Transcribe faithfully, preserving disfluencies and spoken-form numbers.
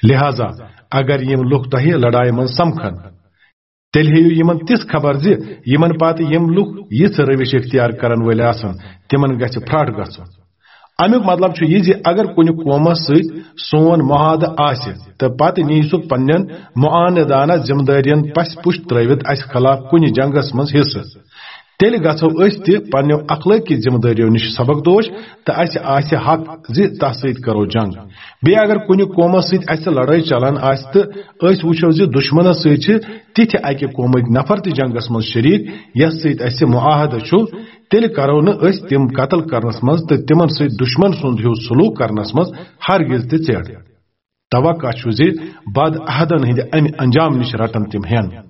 لہذا اگر یِم لُکھ تۄہہِ لڑایہِ منٛز سمکھن، تیٚلہِ ہیٚیِو یِمن تِژھ خبر زِ یِمن پتہٕ یِم لُکھ یِژھ روش اختیار کرن وٲلۍ آسن، تِمن گژھِ پھرٛٹھ گژھُن۔ امیُک مطلب چھُ یہِ زِ اگر کُنہِ قومس سۭتۍ سون معاہدٕ آسہِ تہٕ پتہٕ نِیہِ سُہ پننٮ۪ن معاندانہ ذمہٕ دٲرین پسہِ پُش ترٲوِتھ اسہِ خلاف کُنہِ جنگس منٛز حصہٕ، تیٚلہِ گژھو أسۍ تہِ پننیو اخلٲقی ذمہٕ دٲریو نِش سبق دوش تہٕ اسہِ آسہِ حق زِ تس سۭتۍ کرو جنگ۔ بیٚیہِ اگر کُنہِ قومس سۭتۍ اسہِ لڑٲے چلان آسہِ تہٕ أسۍ وٕچھو زِ دشمنس سۭتۍ چھِ تِتھِ اکہِ قومٕکۍ نفر تہِ جنگس منٛز شریک یس سۭتۍ اسہِ معاہدٕ چھُ، تیٚلہِ کرو نہٕ أسۍ تِم قتل کرنس منٛز تہٕ تِمن سۭتۍ دشمن سُنٛد ہیوٗ سلوک کرنس منٛز ہرگز تہِ ژیڑ۔ توقع چھُ زِ بد عہدن ہٕنٛدِ امہِ انجام نِش رٹن تِم ہٮ۪ن۔